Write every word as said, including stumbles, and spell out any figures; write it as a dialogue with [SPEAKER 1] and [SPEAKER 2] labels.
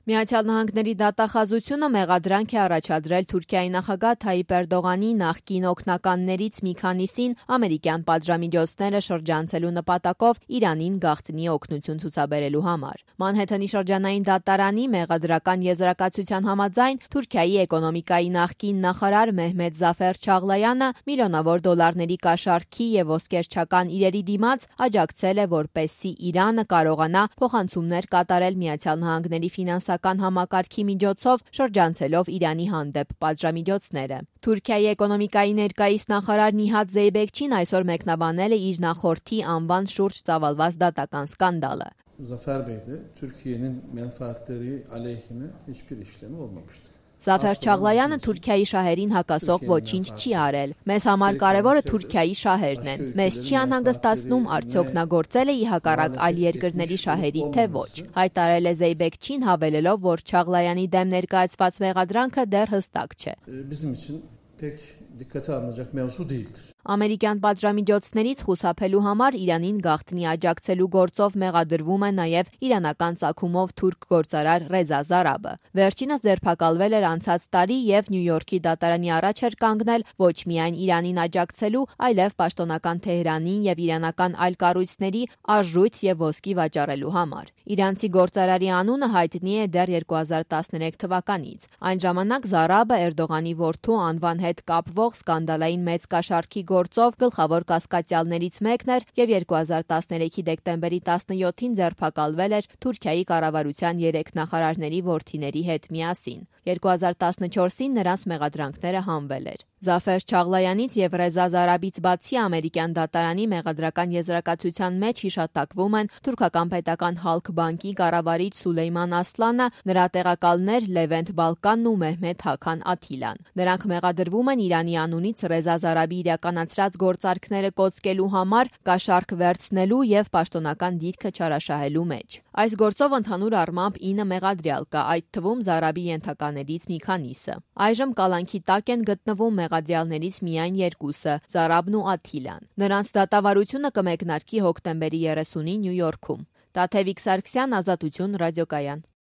[SPEAKER 1] Միացյալ Նահանգների դատախազությունը մեղադրանք է առաջադրել Թուրքիայի նախագահ Թայիպ Էրդողանի նախկին օգնականներից մի քանիսին ամերիկյան պատժամիջոցները շրջանցելու նպատակով Իրանին գաղտնի օգնություն ցուցաբերելու համար։ Մանհեթենի շրջանային դատարանի մեղադրական եզրակացության համաձայն Թուրքիայի էկոնոմիկայի նախկին նախարար Մեհմեդ Զաֆեր Չաղլայանը միլիոնավոր դոլարների կաշառքի եւ ոսկերչական իրերի դիմաց աջակցել է, որպեսզի Իրանը կարողանա փոխանցումներ կատարել Միացյալ Նահանգների ֆինանսական համակարգի միջոցով շրջանցելով Իրանի հանդեպ պատժամիջոցները։ Թուրքիայի էկոնոմիկայի ներկայիս նախարար Նիհաթ Զեյբեքչին այսօր մեկնաբանել է իր նախորդի անվան շուրջ ծավալված դատական սկանդալը։
[SPEAKER 2] Zafer Bey de Türkiye'nin menfaatleri aleyhine hiçbir işlemi olmamıştır.
[SPEAKER 1] Զաֆեր Չաղլայանը Թուրքիայի շահերին հակասող ոչինչ չի արել։ Մեզ համար կարևորը Թուրքիայի շահերն են։ Մեզ չի անհանգստացնում արդյոք նա գործել է ի հակառակ այլ երկրների շահերի, թե ոչ։ Հայտարարել է Զեյբեքչին, հավելելով, որ Չաղլայանի դեմ ներկայացված մեղադրանքը դեռ հստակ չէ։
[SPEAKER 2] Bizim için pek dikkate alınacak mevzu değildir.
[SPEAKER 1] Ամերիկյան պատժամիջոցներից խուսափելու համար Իրանին գաղտնի աջակցելու գործով մեղադրվում է նաև իրանական ծագումով թուրք գործարար Ռեզա Զարաբը։ Վերջինս ձերբակալվել էր անցած տարի եւ Նյու Յորքի դատարանի առաջ էր կանգնել ոչ միայն Իրանին աջակցելու, այլև պաշտոնական Թեհրանին եւ իրանական այլ կառույցների արժույթ եւ ոսկի վաճառելու համար։ Իրանցի գործարարի անունը հայտնի է դեռ երկու հազար տասներեք թվականից։ Այն ժամանակ Զարաբը Էրդողանի որդու անվան հետ կապվող սկանդալային մեծ կաշառքի գործով գլխավոր կասկածյալներից մեկն էր եւ երկու հազար տասներեքի դեկտեմբերի տասնյոթին ձերբակալվել էր Թուրքիայի կառավարության երեք նախարարների որդիների հետ միասին։ երկու հազար տասնչորսին նրանց մեղադրանքները հանվել էր։ Զաֆեր Չաղլայանից եւ Ռեզա Զարաբից բացի ամերիկյան դատարանի մեղադրական եզրակացության մեջ հիշատակվում են թուրքական պետական Հալք բանկի կառավարիչ Սուլեյման Ասլանը, նրա տեղակալներ Լևենտ Բալկանն ու Մեհմեդ Հաքան Աթիլան։ Նրանք մեղադրվում են Իրանի անունից Ռեզա Զարաբի իրականացրած գործարքները կոծկելու համար, կաշառք վերցնելու եւ պաշտոնական դիրքը չարաշահելու մեջ։ Այս գործով ընդհանուր առմամբ ինը մեղադրյալ կա, այդ թվում Զարաբի ենթականերից մի քանիսը։ Այժմ կալանքի տակ են գտնվում մեղադրյալներից միայն երկուսը՝ Զարաբն ու Աթիլան։ Նրանց դատավարությունը կմեկնարկի հոկտեմբերի երեսունին Նյու Յորքում։ Տաթևիկ Սարգսյան, Ազատություն, ռադիոկայան։